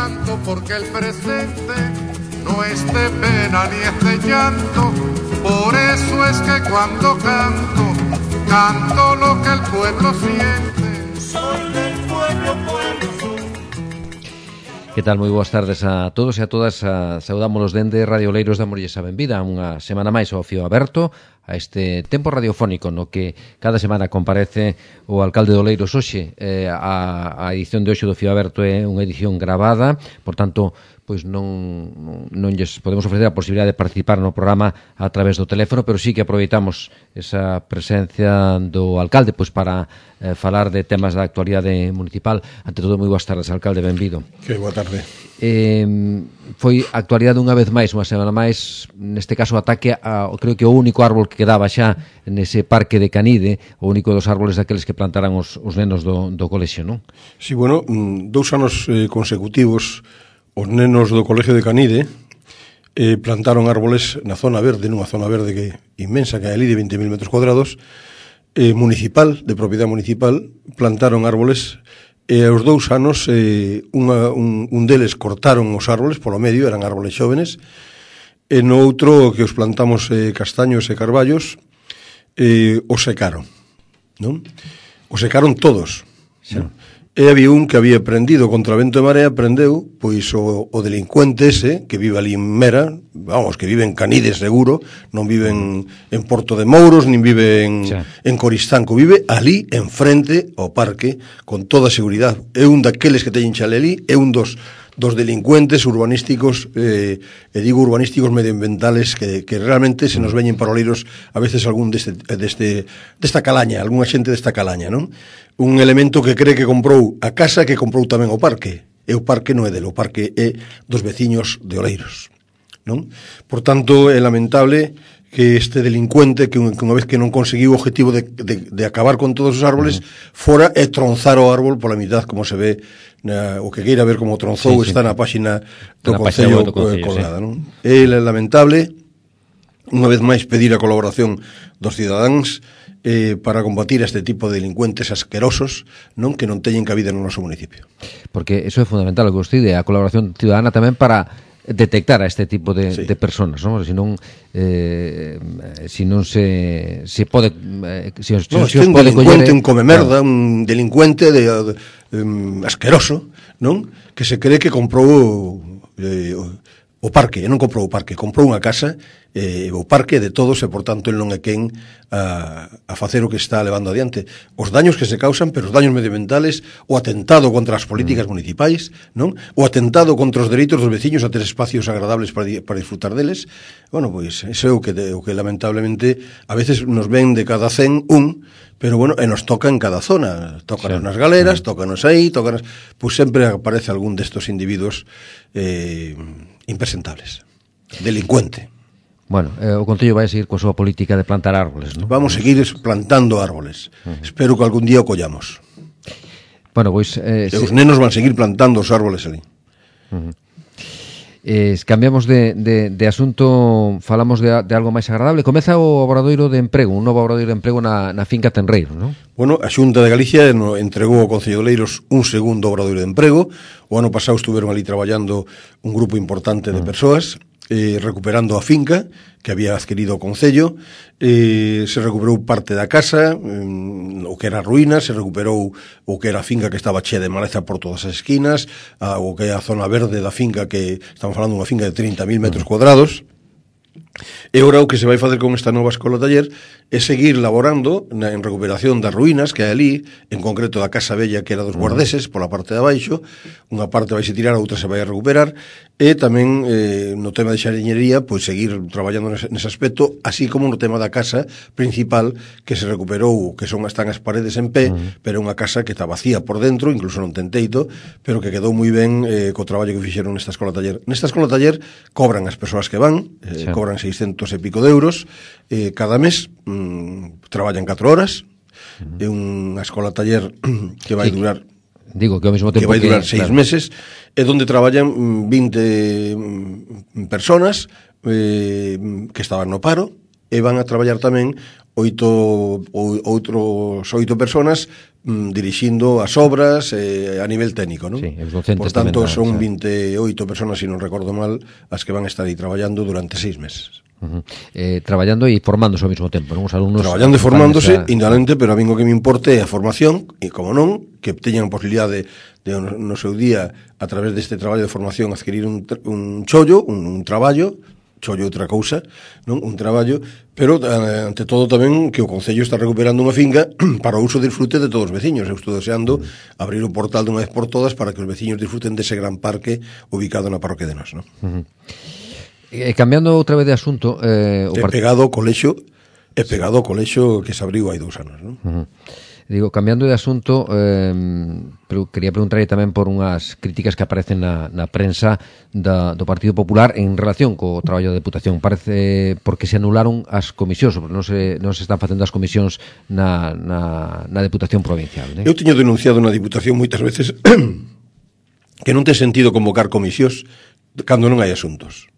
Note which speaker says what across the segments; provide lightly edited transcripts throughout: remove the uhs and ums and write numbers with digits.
Speaker 1: canto porque el presente no es de pena ni es de llanto. Por eso es que cuando canto, canto lo que el pueblo siente. Soy del pueblo, pueblo soy.
Speaker 2: Que tal? Moi boas tardes a todos e a todas. Saudámonos dende Radio Oleiros, damoslle a benvida unha semana máis ao Fío Aberto, a este tempo radiofónico no que cada semana comparece o alcalde de Oleiros. Hoxe a edición de hoxe do Fío Aberto é unha edición gravada, por tanto, pois non lles podemos ofrecer a posibilidade de participar no programa a través do teléfono, pero sí que aproveitamos esa presencia do alcalde pois para falar de temas da actualidade municipal. Ante todo, moi boas tardes, alcalde, benvido.
Speaker 3: Que boa tarde.
Speaker 2: Foi actualidade unha vez máis, unha semana máis, neste caso ataque a, creo que o único árbol que quedaba xa nese parque de Canide, o único dos árboles daqueles que plantaran os nenos do colexio, non?
Speaker 3: Sí, bueno, 2 anos consecutivos os nenos do Colexio de Canide plantaron árboles na zona verde, nunha zona verde que inmensa, que é ali de 20.000 metros cuadrados, municipal, de propiedade municipal, plantaron árboles e aos 2 anos un deles cortaron os árboles polo medio, eran árboles xóvenes, e no outro que os plantamos castaños e carballos os secaron, non? Os secaron todos, sí. Non? E había un que había prendido contra vento e marea, prendeu, pois o delincuente ese, que vive ali en Mera, vamos, que vive en Canide seguro, non vive en Porto de Mouros, nin vive en Coristanco, vive ali, enfrente ao parque, con toda a seguridade. É un daqueles que teñen chale ali, é un dos delincuentes urbanísticos, e digo urbanísticos medioambientales, que realmente se nos veñen para Oleiros a veces algún desta calaña, algunha xente desta calaña, non? Un elemento que cree que comprou a casa, que comprou tamén o parque, e o parque non é dele, o parque é dos veciños de Oleiros, non? Por tanto, é lamentable que este delincuente, que unha vez que non conseguiu o objetivo de acabar con todos os árboles, fora e tronzar o árbol pola mitad, como se ve, o que queira ver como tronzou, está na páxina do Concello colgada, non? É lamentable, unha vez máis, pedir a colaboración dos cidadáns para combatir este tipo de delincuentes asquerosos, non, que non teñen cabida no noso municipio.
Speaker 2: Porque eso é fundamental, o que vostede, a colaboración ciudadana tamén para detectar a este tipo de personas, non? Se non se pode
Speaker 3: un delincuente, un comemerda, un delincuente asqueroso, non? Que se cree que comprou o parque, e non comprou o parque, comprou unha casa, o parque de todos, e por tanto el non é quen a facer o que está levando adiante. Os daños que se causan, pero os daños medioambientales, o atentado contra as políticas municipais, non? O atentado contra os dereitos dos veciños a ter espacios agradables para disfrutar deles. Bueno, pois, iso é o que lamentablemente a veces nos ven de cada 100 pero bueno, e nos toca en cada zona, tócanos nas galeras, tócanos aí, pois sempre aparece algún destos individuos impresentables, delincuente.
Speaker 2: Bueno, o Concello vai seguir coa súa política de plantar árboles, non?
Speaker 3: Vamos a seguir plantando árboles. Espero que algún día o collamos.
Speaker 2: Bueno, pois
Speaker 3: os nenos van seguir plantando os árboles ali.
Speaker 2: Cambiamos de asunto, falamos de algo máis agradable. Comeza o obradoiro de emprego, un novo obradoiro de emprego na finca Tenreiro, non?
Speaker 3: Bueno, a Xunta de Galicia entregou ao Concello de Oleiros un segundo obradoiro de emprego. O ano pasado estuveron ali traballando un grupo importante de persoas, recuperando a finca que había adquirido o Concello. Se recuperou parte da casa, o que era ruína, se recuperou o que era a finca que estaba chea de maleza por todas as esquinas, o que é a zona verde da finca, que estamos falando dunha finca de 30.000 metros cuadrados. E ora o que se vai facer con esta nova escola taller é seguir laborando en recuperación das ruínas que hai ali, en concreto da casa bella que era dos guardeses pola parte de abaixo. Unha parte vai se tirar, a outra se vai a recuperar, e tamén no tema de xardíñería, pois seguir traballando nese aspecto, así como no tema da casa principal que se recuperou, que están as paredes en pé, pero unha casa que está vacía por dentro, incluso non ten teito, pero que quedou moi ben co traballo que fixeron nesta escola taller. Nesta escola taller cobran as persoas que van, cobran 600 e pico de euros cada mes, traballan 4 horas, é unha escola taller que vai durar
Speaker 2: que ao mesmo tempo
Speaker 3: que vai durar 6 meses, e onde traballan 20 personas que estaban no paro, e van a traballar tamén outros 8 personas dirixindo as obras a nivel técnico, non?
Speaker 2: Sí, os docentes.
Speaker 3: Por tanto,
Speaker 2: tamén,
Speaker 3: son
Speaker 2: sí.
Speaker 3: 28 personas, se non recordo mal, as que van a estar aí traballando durante 6 meses.
Speaker 2: Traballando e formándose ao mesmo tempo, non? Os alumnos
Speaker 3: traballando e formándose, indudablemente, pero a mí o que me importe é a formación, e como non, que teñan a posibilidade de no seu día, a través deste traballo de formación, adquirir un chollo, un traballo, chollo outra cousa, non? Un traballo, pero ante todo tamén que o Concello está recuperando unha finca para o uso e disfrute de todos os veciños. Eu estou deseando abrir o portal de unha vez por todas para que os veciños disfruten dese gran parque ubicado na parroquia de Nos, non?
Speaker 2: Cambiando outra vez de asunto,
Speaker 3: pegado ao colexio que se abriu hai 2 anos, non?
Speaker 2: Digo, cambiando de asunto, pero quería preguntarle tamén por unhas críticas que aparecen na prensa do Partido Popular en relación co traballo da Deputación. Parece porque se anularon as comisións, non se están facendo as comisións na Deputación Provincial, né?
Speaker 3: Eu teño denunciado na Diputación moitas veces que non ten sentido convocar comisións cando non hai asuntos.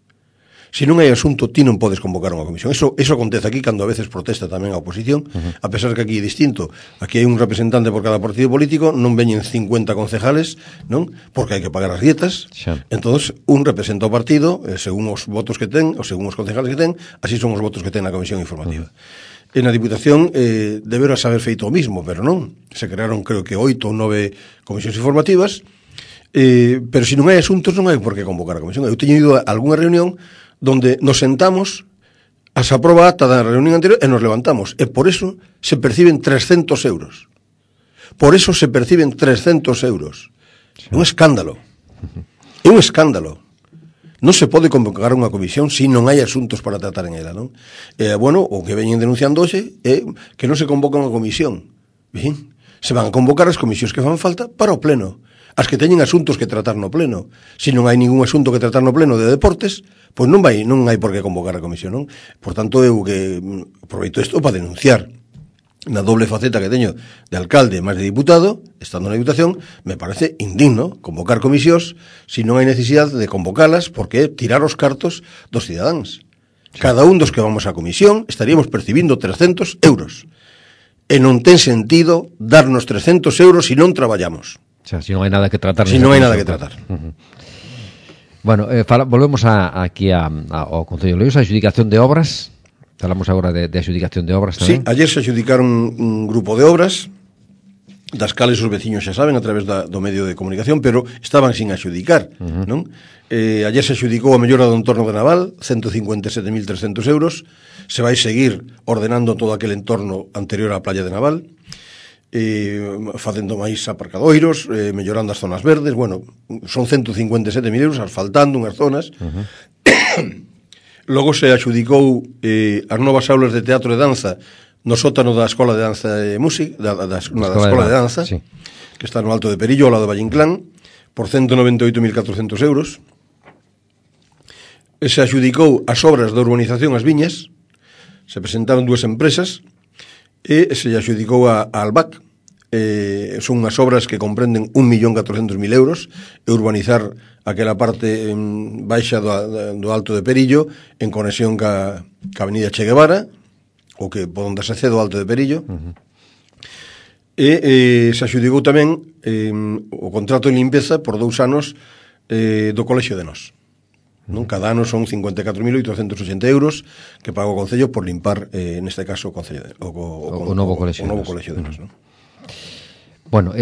Speaker 3: Se non hai asunto, ti non podes convocar unha comisión. Eso acontece aquí cando a veces protesta tamén a oposición, a pesar que aquí é distinto. Aquí hai un representante por cada partido político, non veñen 50 concejales, non? Porque hai que pagar as dietas. Entonces, un representa o partido, según os votos que ten, ou según os concejales que ten, así son os votos que ten na comisión informativa. En a Diputación deberás haber feito o mismo, pero non. Se crearon, creo que 8 ou 9 comisións informativas, pero se non hai asuntos non hai por que convocar a comisión. Eu teño ido a algunha reunión donde nos sentamos, se aproba a acta da reunión anterior e nos levantamos. E por eso se perciben 300 euros. Por eso se perciben 300 euros. É un escándalo. É un escándalo. Non se pode convocar unha comisión se non hai asuntos para tratar en ela, non? Bueno, o que veñen denunciando hoxe é que non se convoca unha comisión. Ben, se van a convocar as comisións que fan falta para o pleno. As que teñen asuntos que tratar no pleno. Se non hai ningún asunto que tratar no pleno de deportes, pois non hai por que convocar a comisión, non? Por tanto, eu que aproveito isto para denunciar na doble faceta que teño de alcalde máis de diputado, estando na Diputación, me parece indigno convocar comisións se non hai necesidade de convocalas, porque é tirar os cartos dos cidadáns. Cada un dos que vamos á comisión estaríamos percibindo 300 euros. E non ten sentido darnos 300 euros se non traballamos.
Speaker 2: O sea, si non hai nada que tratar.
Speaker 3: Si non hai nada que tratar.
Speaker 2: Bueno, volvemos aquí ao Concello de Loios, a adjudicación de obras. Falamos agora de adjudicación de obras tamén.
Speaker 3: Sí, ayer se adjudicaron un grupo de obras das cales os veciños xa saben a través do medio de comunicación, pero estaban sin adjudicar, non? Ayer se adjudicou a mellora do entorno de Naval, 157.300 euros. Se vai seguir ordenando todo aquel entorno anterior á playa de Naval, facendo máis aparcadoiros, mellorando as zonas verdes. Bueno, son 157.000 euros, asfaltando unhas zonas. Logo se adjudicou as novas aulas de teatro e danza no sótano da Escola de Danza e Música, da Escola de Danza, sí, que está no Alto de Perillo, ao lado de Valle Inclán, por 198.400 euros. Se adjudicou as obras de urbanización As Viñas, se presentaron 2 empresas, e se adjudicou a Albac. Son unhas obras que comprenden 1.400.000 euros, e urbanizar aquela parte baixa do Alto de Perillo en conexión ca Avenida Che Guevara, o que por onde se accede ao Alto de Perillo. E se adjudicou tamén o contrato de limpeza por 2 anos do Colexio de Nos. Non? Cada ano son 54.880 euros que paga o Concello por limpar, neste caso, o Concello o novo Colexio de Nos, non?
Speaker 2: Bueno,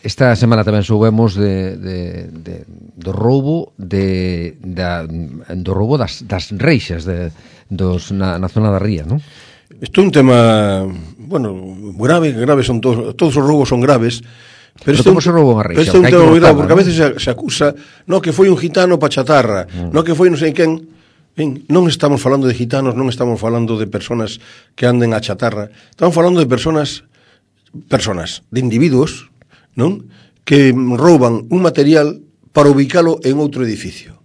Speaker 2: esta semana tamén soubemos do roubo do roubo das reixas na zona da Ría, non?
Speaker 3: Isto é un tema, bueno, grave son todos os roubos son graves.
Speaker 2: Pero como se roubou unha reixa?
Speaker 3: Pero este é un tema moi grave, porque a veces se acusa que foi un gitano pa chatarra, que foi non sei quen. Ben, non estamos falando de gitanos, non estamos falando de personas que anden a chatarra, estamos falando de personas, de individuos, non? Que rouban un material para ubicalo en outro edificio.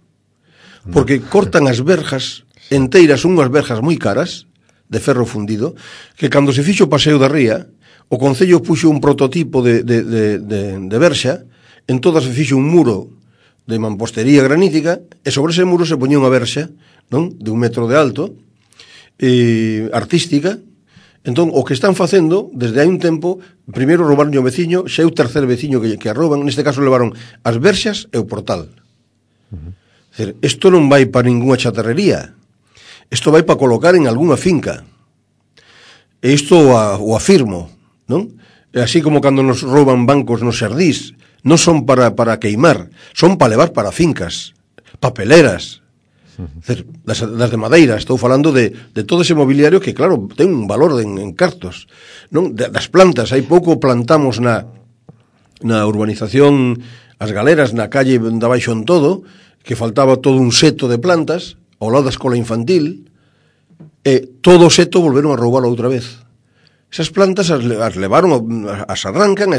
Speaker 3: Porque cortan as verjas enteiras, unhas verjas moi caras, de ferro fundido, que cando se fixo o paseo da Ría, o Concello puxo un prototipo de verxa, en todas se fixo un muro de mampostería granítica, e sobre ese muro se poñía unha verxa, non? De 1 metro de alto, artística. Entón, o que están facendo, desde hai un tempo, primeiro roubaron o veciño, xa é o terceiro veciño que a rouban, neste caso levaron as verxas e o portal. Isto non vai para ninguna chatarrería, isto vai para colocar en algunha finca. E isto o afirmo, non? E así como cando nos rouban bancos nos xardís, non son para queimar, son para levar para fincas, papeleras, das de madeira. Estou falando de todo ese mobiliario que, claro, ten un valor en cartos, non? Das plantas, hai pouco plantamos na urbanización As Galeras, na calle de abaixo en todo, que faltaba todo un seto de plantas ao lado da escola infantil, e todo o seto volveron a roubarlo outra vez. Esas plantas as levaron, as arrancan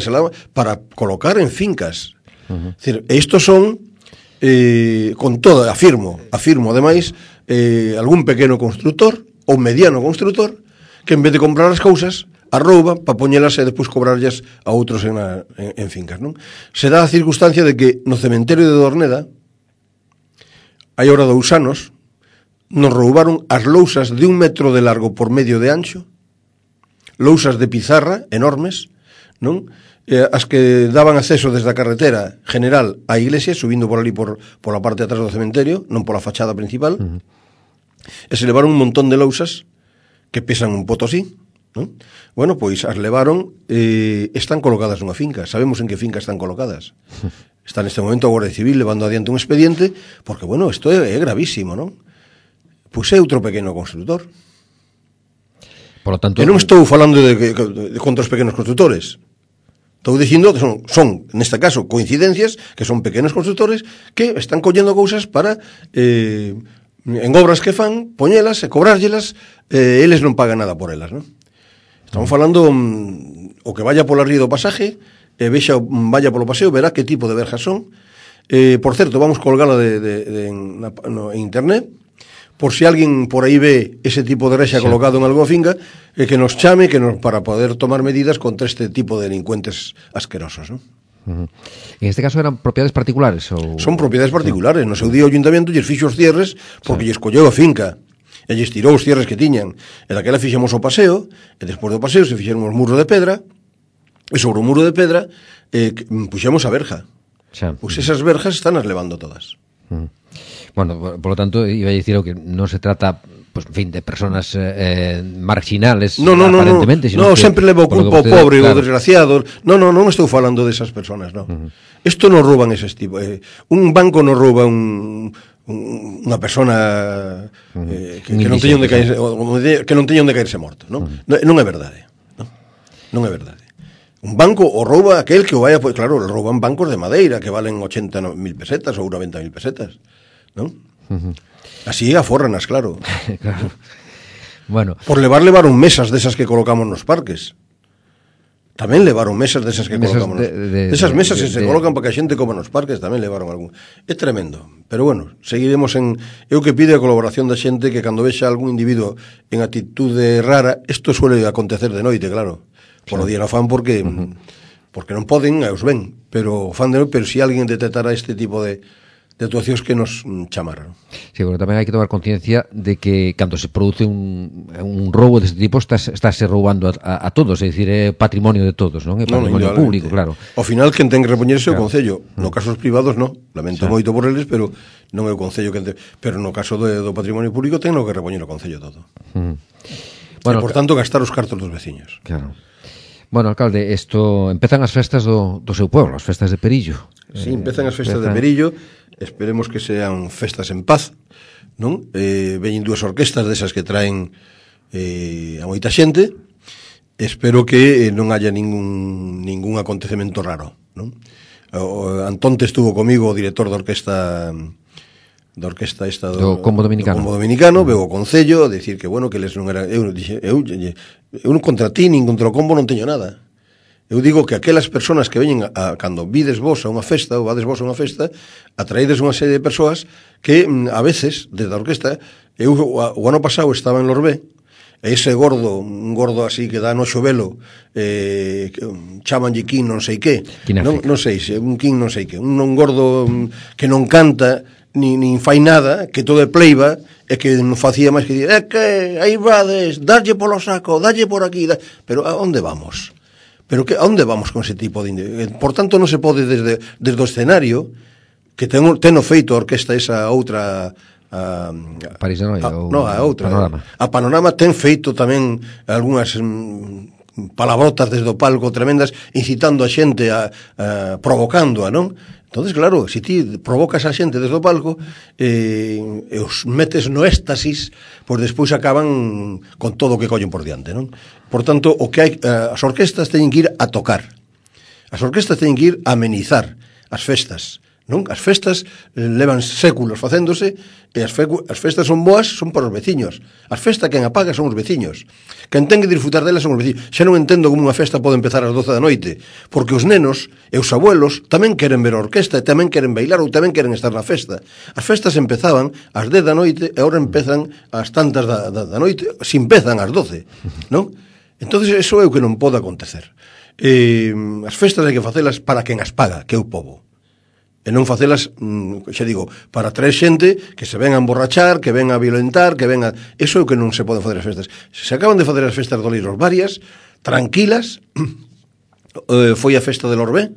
Speaker 3: para colocar en fincas. É dicir, estos son con todo, afirmo ademais, algún pequeno constructor ou mediano constructor que en vez de comprar as cousas a rouba para poñelas e despois cobrarllas a outros en fincas, non? Se dá a circunstancia de que no cementerio de Dorneda hai ahora 2 anos nos roubaron as lousas de 1 metro de largo por medio de ancho, lousas de pizarra enormes, non? As que daban acceso desde a carretera general á iglesia, subindo por ali por a parte de atrás do cementerio, non pola fachada principal, e se levaron un montón de lousas que pesan un potosí, non? Bueno, pois as levaron e están colocadas nunha finca. Sabemos en que finca están colocadas. Está neste momento a Guardia Civil levando adiante un expediente, porque, bueno, isto é gravísimo, non? Pois é outro pequeno constructor.
Speaker 2: Por lo tanto,
Speaker 3: e non estou falando de contra os pequenos constructores. Estou dicindo que son, neste caso, coincidencias, que son pequenos constructores que están collendo cousas para, en obras que fan, poñelas e cobrárllelas, eles non pagan nada por elas, non? Estamos falando, o que vaya pola ría do pasaje, vaya polo paseo, verá que tipo de verjas son. Por certo, vamos colgala en internet, por si alguén por aí ve ese tipo de rexa colocado en algunha finca, que nos chame para poder tomar medidas contra este tipo de delincuentes asquerosos, non?
Speaker 2: En este caso eran propiedades particulares?
Speaker 3: Son propiedades particulares. No seu día o ayuntamiento lles fixo os cierres porque lles colleu a finca e lles tirou os cierres que tiñan. E daquela fixemos o paseo, e despois do paseo se fixeron os muros de pedra, e sobre o muro de pedra puxemos a verja. Pois esas verjas están as levando todas.
Speaker 2: Bueno, por lo tanto, iba a decir que no se trata, pues, en fin, de personas marginales, aparentemente.
Speaker 3: No, sempre leva o culpa ao pobre ou desgraciado. Non estou falando desas personas, non. Isto non rouban eses tipos. Un banco non rouba unha persona que non teña onde caerse morto, non? Non é verdade. Non é verdade. Un banco o rouba aquel que o vaya, pues claro, rouban bancos de madeira que valen 80.000 pesetas ou 90.000 pesetas, non? Así aforranas, claro.
Speaker 2: Claro. Bueno,
Speaker 3: por levaron mesas desas que colocamos nos parques. Tamén levaron mesas desas que colocamos. Desas mesas que se colocan para que a xente coma nos parques, tamén levaron algún. É tremendo. Pero bueno, seguiremos eu que pide a colaboración da xente, que cando vexa algún individuo en actitude rara, isto suele acontecer de noite, claro. Por o día non fan porque non poden, os ven, pero fan de noite, pero se alguén detectara este tipo de actuacións que nos chamaran.
Speaker 2: Sí, porque tamén hai que tomar conciencia de que cando se produce un roubo deste tipo estáse roubando a todos, é dicir, é patrimonio de todos, non? É patrimonio público, claro.
Speaker 3: Ao final, quen ten que repoñerse o Concello. No caso dos privados, non. Lamento moito por eles, pero non é o Concello que pero no caso do patrimonio público ten que repoñer o Concello todo. Bueno, e, por tanto, gastar os cartos dos veciños.
Speaker 2: Claro. Bueno, alcalde, empezan as festas do seu pueblo, as festas de Perillo.
Speaker 3: Sí, empezan as festas de Perillo. Esperemos que sean festas en paz, non? Veñen 2 orquestas desas que traen a moita xente. Espero que non haya ningún acontecemento raro, non? Antonte estuvo comigo, o director da orquesta esta
Speaker 2: do Combo
Speaker 3: Dominicano, veo o Concello, decir que, bueno, que eles non eran... Eu non contra ti, nin contra o Combo non teño nada. Eu digo que aquelas persoas que veñen cando vides vos a unha festa, ou vades vos a unha festa, atraídes unha serie de persoas que a veces, desde a orquesta, eu o ano pasado estaba en Lorbé, ese gordo, un gordo así que dá noxo velo, chamanlle King non sei que, non sei se un King non sei que, un gordo que non canta nin fai nada, que todo é pleiba, e que non facía máis que dir, que aí vades, darlle polo saco, darlle por aquí, pero a onde vamos? Pero a onde vamos con ese tipo de... Por tanto, non se pode desde o escenario, que ten feito a orquesta esa outra...
Speaker 2: París de Noia?
Speaker 3: A outra.
Speaker 2: Panorama.
Speaker 3: A Panorama ten feito tamén algunhas palabrotas desde o palco tremendas, incitando a xente, provocándoa, non? Entonces, claro, se ti provocas a xente desde o palco e os metes no éxtasis, pois despois acaban con todo o que collen por diante, non? Por tanto, o que hai, as orquestas teñen que ir a tocar. As orquestas teñen que ir a amenizar as festas, non? As festas levan séculos facéndose e as festas son boas, son para os veciños. As festas quen apaga son os veciños. Quen ten que disfrutar delas son os veciños. Xa non entendo como unha festa pode empezar ás 12 da noite, porque os nenos e os abuelos tamén queren ver a orquesta e tamén queren bailar ou tamén queren estar na festa. As festas empezaban ás 10 da noite e agora empezan ás tantas da noite, se empezan ás 12, non? Entonces, eso é o que non pode acontecer. As festas hai que facelas para quen as paga, que é o povo. E non facelas, xa digo, para traer xente que se ven a emborrachar, que ven a violentar, que ven a... Eso é o que non se pode facer as festas. Se acaban de facer as festas de Oleiros varias, tranquilas, foi a festa del Orbé,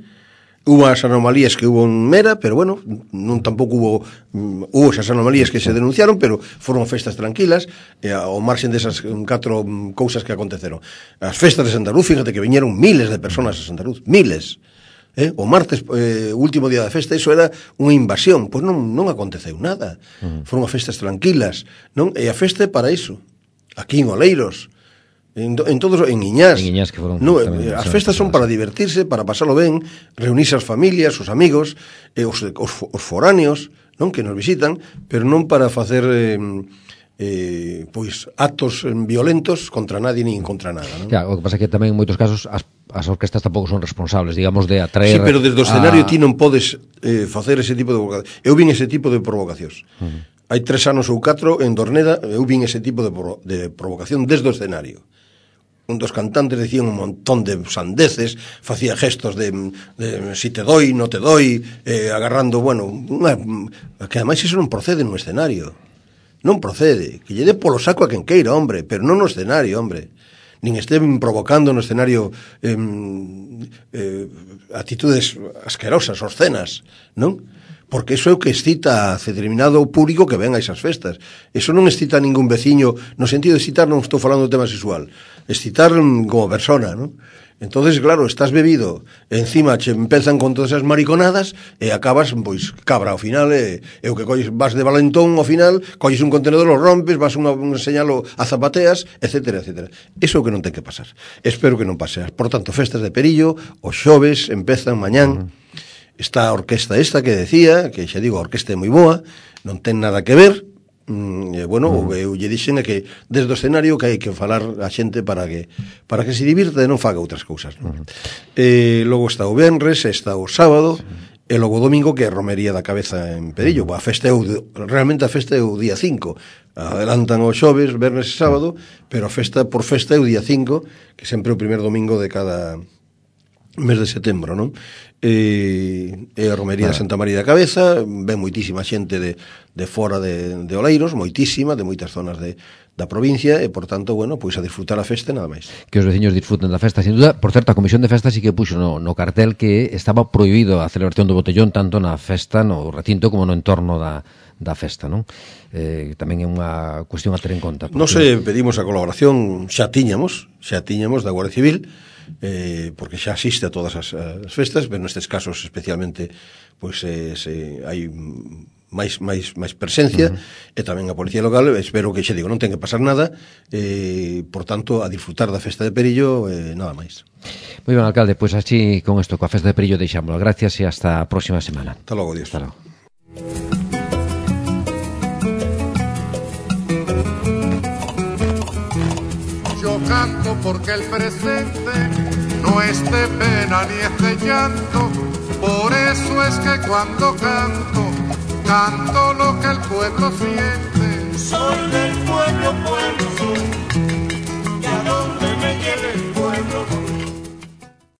Speaker 3: hubo as anomalías que hubo en Mera, pero bueno, non tampouco hubo esas anomalías que se denunciaron, pero foron festas tranquilas, ao marxen desas 4 cousas que aconteceron. As festas de Santa Luz, fíjate que viñeron miles de personas a Santa Luz, miles. O martes, último día da festa, iso era unha invasión, pois non aconteceu nada. Foron as festas tranquilas, non? E a festa é para iso. Aquí en Oleiros, en todos, en Iñás,
Speaker 2: que foron,
Speaker 3: no, as festas son para divertirse, para pasalo ben, reunirse as familias, os amigos, os foráneos, non, que nos visitan, pero non para facer pois actos violentos contra nadie nin contra nada, non?
Speaker 2: Claro, o que pasa é que tamén en moitos casos as orquestas tampouco son responsables, digamos, de atraer...
Speaker 3: Sí, pero desde o escenario ti non podes facer ese tipo de provocacións. Eu vin ese tipo de provocacións. Hai 3 anos ou 4 en Dorneda, eu vin ese tipo de provocación desde o escenario. Un dos cantantes decía un montón de sandeces, facía gestos de si te doy, no te doy, agarrando, bueno, que ademais iso non procede no escenario. Non procede, que lle dé polo saco a quen queira, hombre, pero non no escenario, hombre. Nin estén provocando no escenario actitudes asquerosas, obscenas, non? Porque iso é o que excita a determinado público que ven a esas festas. Iso non excita a ningún veciño, no sentido de excitar non estou falando do tema sexual, excitar como persona, non? Entonces, claro, estás bebido, encima che empezan con todas esas mariconadas e acabas, pois, cabra ao final, e o que colles, vas de valentón ao final, colles un contenedor, lo rompes, vas un señalo a zapateas, etcétera, etcétera. Eso é o que non ten que pasar. Espero que non pase. Por tanto, festas de Perillo, os xoves empezan mañán. Está a orquesta esta que decía, que xa digo, a orquesta é moi boa, non ten nada que ver, bueno, o que eu lle dixen é que desde o escenario que hai que falar a xente para que se divirta e non faga outras cousas, non? Logo está o venres, está o sábado, e logo o domingo que é a romería da cabeza en Perillo. A festa realmente a festa é o día 5, adelantan os xoves, venres e sábado, pero a festa por festa é o día 5, que sempre é o primer domingo de cada mes de setembro, non? E a romería de Santa María da Cabeza, ven moitísima xente de fora de Oleiros, moitísima, de moitas zonas da provincia, e, por tanto, bueno, pois a disfrutar a festa nada máis.
Speaker 2: Que os veciños disfruten da festa, sin duda. Por certo, a Comisión de Festas sí que puxo no cartel que estaba prohibido a celebración do botellón tanto na festa, no recinto, como no entorno da festa, non? Tamén é unha cuestión a ter en conta.
Speaker 3: Nos pedimos a colaboración, xa tiñamos da Guardia Civil, porque xa asiste a todas as festas, pero nestes casos especialmente pois hai máis presencia, e tamén a Policía Local. Espero que, xa digo, non ten que pasar nada, por tanto, a disfrutar da festa de Perillo, nada máis.
Speaker 2: Moi ben, alcalde, pois así con isto, coa festa de Perillo deixámoslo. Gracias e hasta a próxima semana.
Speaker 3: Hasta logo, Dios.
Speaker 2: Hasta logo.
Speaker 1: Yo canto porque el presente no es de pena ni es de llanto, por eso es que cuando canto, canto lo que el pueblo siente.
Speaker 4: Soy del pueblo soy.
Speaker 1: viene.